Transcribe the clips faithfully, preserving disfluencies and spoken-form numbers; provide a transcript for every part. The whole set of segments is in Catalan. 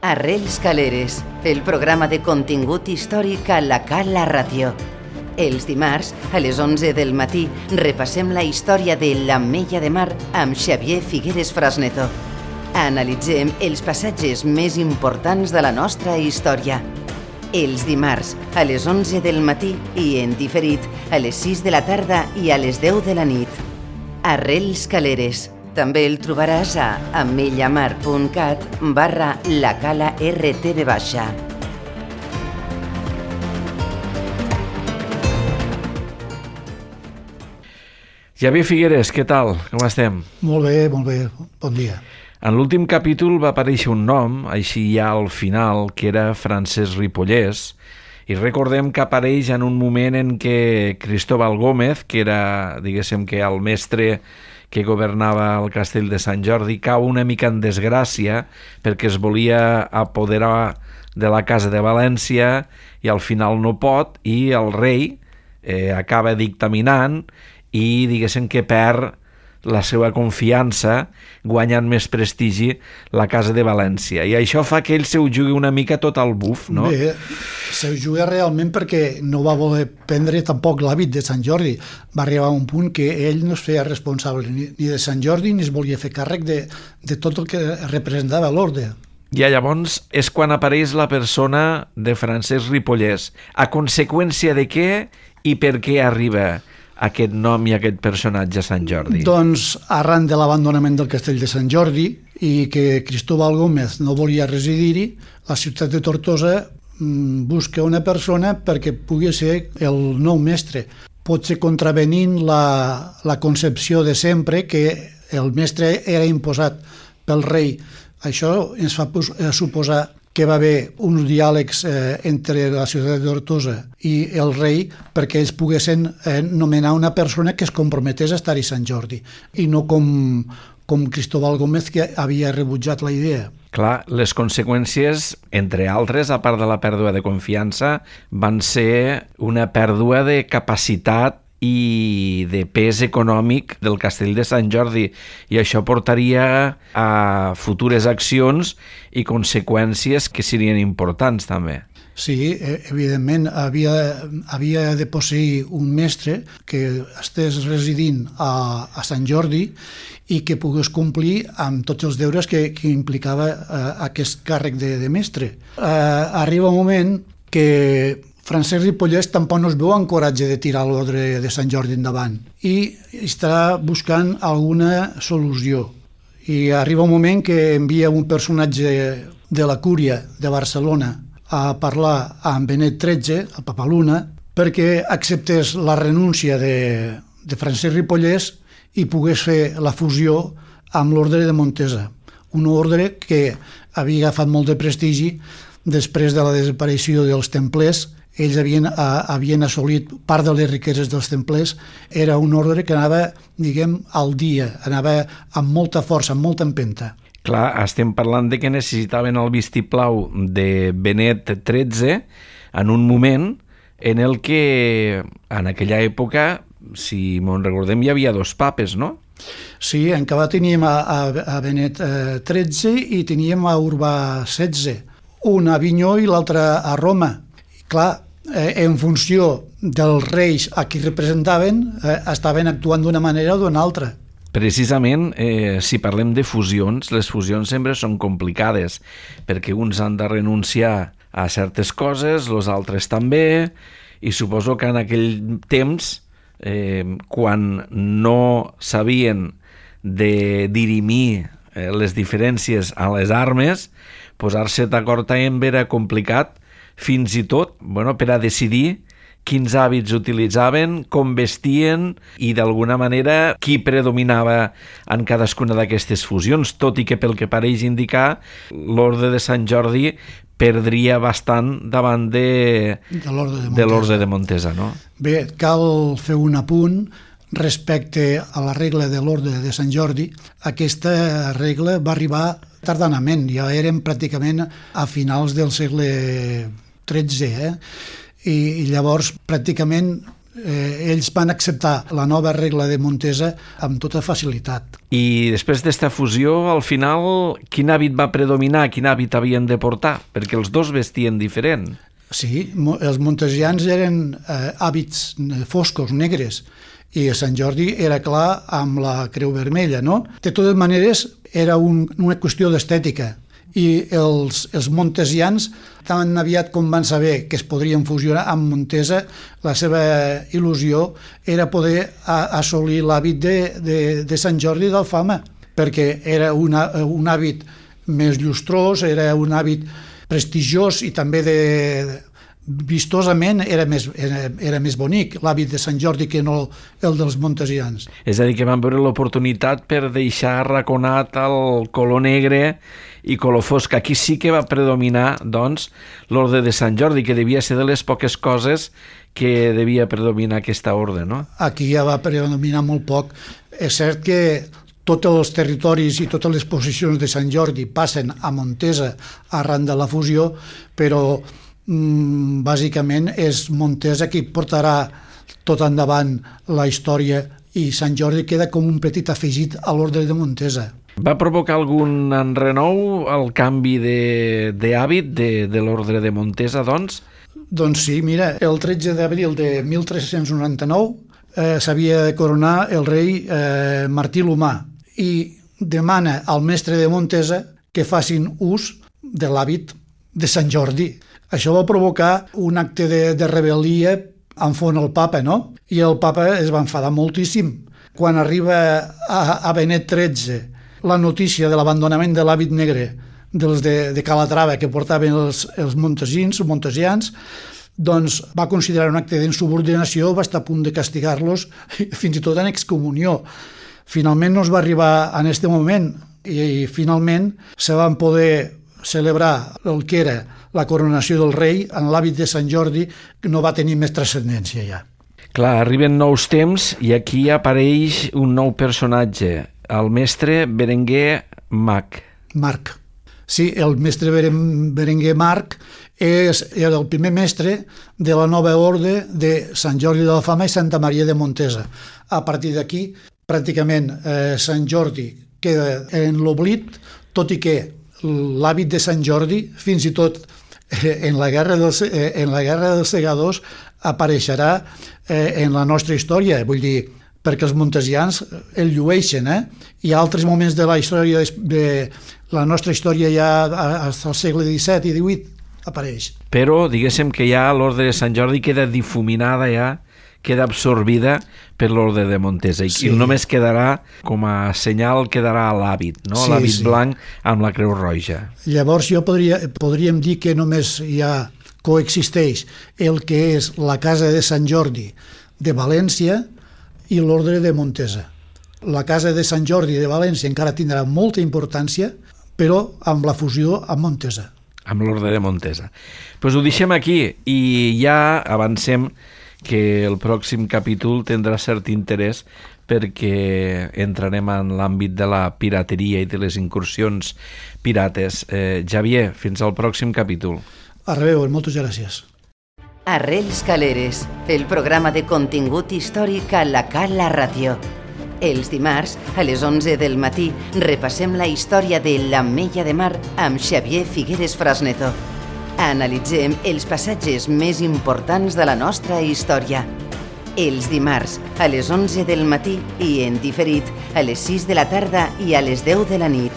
Arrels Caleres, el programa de contingut històric a la Cala Ràdio. Els dimarts, a les onze del matí, repassem la història de l'Ametlla de Mar amb Xavier Figueres Frasneto. Analitzem els passatges més importants de la nostra història. Els dimarts, a les onze del matí i en diferit, a les sis de la tarda i a les deu de la nit. Arrels Caleres. També el trobaràs a ametllamar.cat barra la cala rtv baixa. Xavier Figueres, què tal? Com estem? Molt bé, molt bé. Bon dia. En l'últim capítol va aparèixer un nom, així ja al final, que era Francesc Ripollès, i recordem que apareix en un moment en què Cristóbal Gómez, que era, diguéssim, que el mestre que governava el castell de Sant Jordi, cau una mica en desgràcia perquè es volia apoderar de la casa de València i al final no pot, i el rei eh, acaba dictaminant i diguéssim que perd la seva confiança, guanyant més prestigi la casa de València. I això fa que ell se ho jugui una mica tot al buf, no? Bé, se ho juga realment perquè no va voler prendre tampoc l'hàbit de Sant Jordi. Va arribar a un punt que ell no es feia responsable ni, ni de Sant Jordi ni es volia fer càrrec de, de tot el que representava l'ordre. I llavors és quan apareix la persona de Francesc Ripollès. A conseqüència de què i per què arriba aquest nom i aquest personatge a Sant Jordi? Doncs arran de l'abandonament del castell de Sant Jordi i que Cristóbal Gómez no volia residir-hi, la ciutat de Tortosa busca una persona perquè pugui ser el nou mestre. Potser contravenint la, la concepció de sempre que el mestre era imposat pel rei. Això ens fa suposar que va haver uns diàlegs eh, entre la ciutat de Tortosa i el rei perquè ells poguessin eh, nomenar una persona que es comprometés a estar-hi Sant Jordi i no com, com Cristóbal Gómez, que havia rebutjat la idea. Clar, les conseqüències, entre altres, a part de la pèrdua de confiança, van ser una pèrdua de capacitat i de pes econòmic del castell de Sant Jordi, i això portaria a futures accions i conseqüències que serien importants també. Sí, evidentment havia, havia de posseir un mestre que estés residint a, a Sant Jordi i que pogués complir amb tots els deures que, que implicava eh, aquest càrrec de, de mestre. Eh, arriba un moment que Francesc Ripollès tampoc no es veu encoratge de tirar l'ordre de Sant Jordi endavant i està buscant alguna solució. I arriba un moment que envia un personatge de la Cúria de Barcelona a parlar amb Benet tretze, el Papaluna, perquè acceptés la renúncia de, de Francesc Ripollès i pogués fer la fusió amb l'ordre de Montesa, un ordre que havia agafat molt de prestigi després de la desaparició dels templers. Ells havien, havien assolit part de les riqueses dels templers. Era un ordre que anava, diguem, al dia, anava amb molta força, amb molta empenta. Clar, estem parlant de que necessitaven el vistiplau de Benet tretze en un moment en el que, en aquella època, si me'n recordem, hi havia dos papes, no? Sí, encara teníem a, a, a Benet tretze i teníem a Urbà setze, un a Avinyó i l'altre a Roma. Clar, eh, en funció dels reis a qui representaven, eh, estaven actuant d'una manera o d'una altra. Precisament, eh, si parlem de fusions, les fusions sempre són complicades, perquè uns han de renunciar a certes coses, els altres també, i suposo que en aquell temps, eh, quan no sabien de dirimir eh, les diferències a les armes, posar-se d'acord amb era complicat, fins i tot bueno, per a decidir quins hàbits utilitzaven, com vestien i d'alguna manera qui predominava en cadascuna d'aquestes fusions, tot i que pel que pareix indicar l'ordre de Sant Jordi perdria bastant davant de, de l'ordre de, de l'ordre de Montesa, no? Bé, cal fer un apunt respecte a la regla de l'ordre de Sant Jordi. Aquesta regla va arribar tardanament, ja érem pràcticament a finals del segle tretze, eh? I llavors pràcticament eh, ells van acceptar la nova regla de Montesa amb tota facilitat. I després d'esta fusió, al final, quin hàbit va predominar? Quin hàbit havien de portar? Perquè els dos vestien diferent. Sí, els montesians eren eh, hàbits foscos, negres, i a Sant Jordi era clar amb la creu vermella, no? De totes maneres, era un, una qüestió d'estètica, i els, els montesians, tan aviat com van saber que es podrien fusionar amb Montesa, la seva il·lusió era poder a, assolir l'hàbit de, de, de Sant Jordi d'Alfama, perquè era una, un hàbit més llustrós, era un hàbit prestigiós i també de, vistosament era més, era, era més bonic l'hàbit de Sant Jordi que no el dels montesians. És a dir, que van veure l'oportunitat per deixar arraconat el color negre i color fosc. Aquí sí que va predominar, doncs, l'orde de Sant Jordi, que devia ser de les poques coses que devia predominar aquesta orde, no? Aquí ja va predominar molt poc. És cert que tots els territoris i totes les posicions de Sant Jordi passen a Montesa arran de la fusió, però mm, bàsicament és Montesa qui portarà tot endavant la història i Sant Jordi queda com un petit afegit a l'ordre de Montesa. Va provocar algun enrenou el canvi d'hàbit de, de, de l'ordre de Montesa, doncs? Doncs sí, mira, el tretze d'abril de mil tres-cents noranta-nou eh, s'havia de coronar el rei eh, Martí l'Humà i demana al mestre de Montesa que facin ús de l'hàbit de Sant Jordi. Això va provocar un acte de, de rebel·lia enfront el papa, no? I el papa es va enfadar moltíssim. Quan arriba a, a Benet tretze la notícia de l'abandonament de l'hàbit negre dels de, de Calatrava que portaven els, els montesins, montesians, doncs va considerar un acte d'insubordinació, va estar a punt de castigar-los, fins i tot en excomunió. Finalment no es va arribar en aquest moment i, i finalment se van poder celebrar el que era la coronació del rei en l'hàbit de Sant Jordi, que no va tenir més transcendència ja. Clar, arriben nous temps i aquí apareix un nou personatge, el mestre Berenguer Marc. Marc. Sí, el mestre Berenguer Marc és, era el primer mestre de la nova orde de Sant Jordi d'Alfama i Santa Maria de Montesa. A partir d'aquí, pràcticament eh, Sant Jordi queda en l'oblit, tot i que l'hàbit de Sant Jordi, fins i tot eh, en, la guerra dels, eh, en la guerra dels segadors, apareixerà eh, en la nostra història. Vull dir, perquè els montesians el llueixen, eh? Hi ha altres moments de la història, de la nostra història ja fins al segle disset i divuit apareix. Però diguéssim que ja l'ordre de Sant Jordi queda difuminada ja, queda absorbida per l'ordre de Montesa i, sí. I només quedarà, com a senyal, quedarà l'hàbit, no? Sí, l'hàbit sí. Blanc amb la creu roja. Llavors jo podria, podríem dir que només ja coexisteix el que és la casa de Sant Jordi de València i l'ordre de Montesa. La casa de Sant Jordi de València encara tindrà molta importància, però amb la fusió amb Montesa. Amb l'ordre de Montesa. Doncs pues ho deixem aquí i ja avancem que el pròxim capítol tindrà cert interès perquè entrarem en l'àmbit de la pirateria i de les incursions pirates. Eh, Xavier, fins al pròxim capítol. A reveure, moltes gràcies. Arrels Caleres, el programa de contingut històric a la Cala Ràdio. Els dimarts, a les onze del matí, repassem la història de l'Ametlla de Mar amb Xavier Figueres Frasneto. Analitzem els passatges més importants de la nostra història. Els dimarts, a les onze del matí i en diferit, a les sis de la tarda i a les deu de la nit.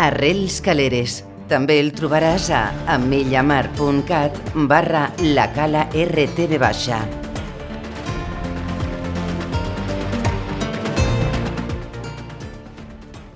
Arrels Caleres. També el trobaràs a amellamar punt cat barra la cala R T V baixa.